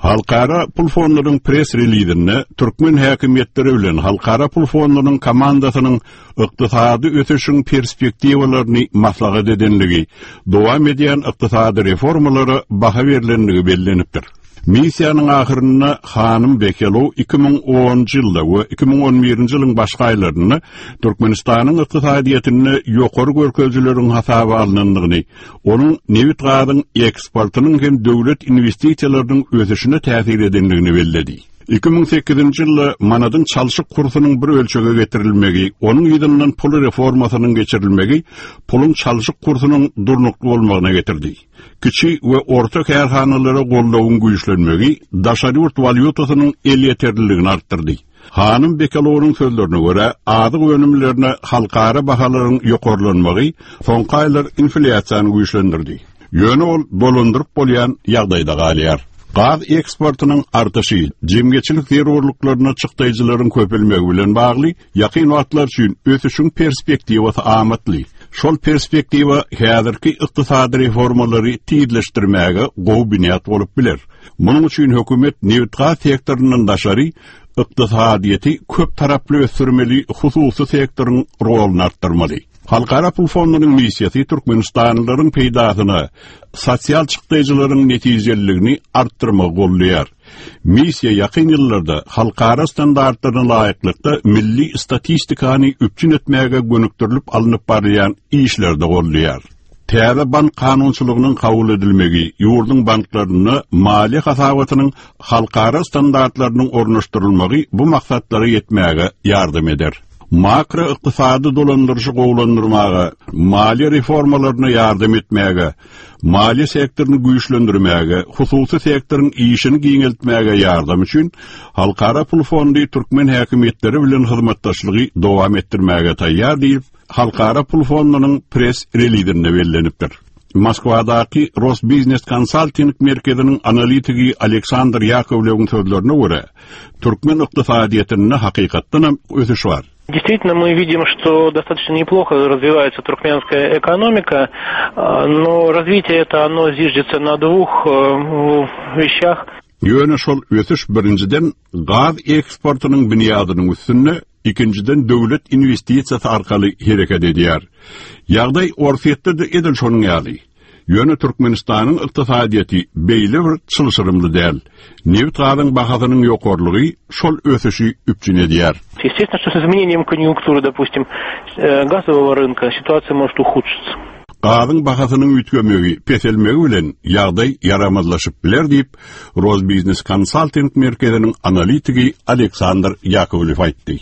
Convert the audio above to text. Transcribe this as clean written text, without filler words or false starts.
Halkara pul fondunyň press-relizinde türkmen häkimiýetleri bilen Halkara pul fondunyň komandasynyň ykdysady ösüşiň perspektiwalaryny maslahat edenligi, dowam edýän ykdysady reformalara baha berlendigi bellenipdir. Missiýanyň ahyrynda hanym Bekelow 2010-njy ýylda we 2011-nji ýylyň başky aýlarynda Türkmenistanyň ykdysadyýetinde ýokary görkezijileriň hasaba alnandygyny, onuň nebit-gazyň eksportynyň hem döwlet inwestisiýalarynyň ösüşine täsir edendigini belledi. 2008-nji ýylda manadyň çalşyk kursunyň bir ölçege getirilmegi, onuň yzyndan pul reformasynyň geçirilmegi puluň çalşyk kursunyň durnukly bolmagyna getirdi. Kiçi we orta kärhanalara goldawyň güýçlenmegi daşary ýurt walýutasynyň elýeterliligini artdyrdy. Hanym Bekalonyň sözlerine görä, azyk önümlerine halkara bahalaryň ýokarlanmagy soňky aýlar inflýasiýany güýçlendirdi. Ýöne ol dolandyryp bolýan ýagdaýda galýar. Gaz eksportynyň artyşy, jemgyýetçilik zerurlyklaryna çykdaýjylaryň köpelmegi bilen bagly ýakyn wagtlar üçin ösüşiň perspektiwasy amatly. Şol perspektiwa häzirki ykdysady reformalary tizleşdirmäge gowy binýat bolup biler. Munuň üçin hökümet nebitgaz sektoryndan daşary ykdysadyýeti köp taraply ösdürmeli, hususy sektoryň roluny artdyrmaly. Halkara pul fondunyň missiýasy türkmenistanlylaryň peýdasyna sosial çykdaýjylaryň netijeliligini artdyrmagy goldaýar. Missiýa ýakyn ýyllarda halkara standartlaryna laýyklykda milli statistikany üpjün etmäge gönükdirilip alnyp barylýan işleri-de goldaýar. Täze bank kanunçylygynyň kabul edilmegi ýurduň banklarynda maliýe hasabatynyň halkara standartlarynyň ornaşdyrylmagy bu maksatlara ýetmäge ýardam eder. Makroykdysady dolandyryşy gowulandyrmaga, maliýe reformalaryna ýardam etmäge, maliýe sektoryny güýçlendirmäge, hususy sektoryň işini giňeltmäge ýardam üçin Halkara pul fondy türkmen häkimiýetleri bilen hyzmatdaşlygy dowam etdirmäge taýýar diýip, Halkara pul fondunyň press-relizinde bellenipdir. Moskwadaky Rosbiznes konsalting merkeziniň analitigi Aleksandr Ýakowlewiň sözlerine görä, türkmen ykdysadyýetinde hakykatdanam ösüş bar. Действительно, мы видим, что достаточно неплохо развивается туркменская экономика, но развитие это оно зиждется на двух э, вещах. Ýöne şol ösüş birinjiden gaz eksportynyň binýadynyň üstünde, ikinjiden döwlet inwestisiýasy arkaly hereket edýär. Ýagdaý Orsýetde-de edil şonuň ýaly. Ýöne Türkmenistanyň ykdysadyýeti beýle bir çylşyrymly däl. Nebit-gazyň bahasynyň ýokarylygy şol ösüşi üpjün edýär. Естественно, что с изменением конъюнктуры, допустим, э, газового рынка ситуация может ухудшиться. Gazyň bahasynyň üýtgemegi, peselmegi bilen ýagdaý ýaramazlaşyp biler diýip, Rosbiznes konsalting merkeziniň analitigi Aleksandr Ýakowlew aýtdy.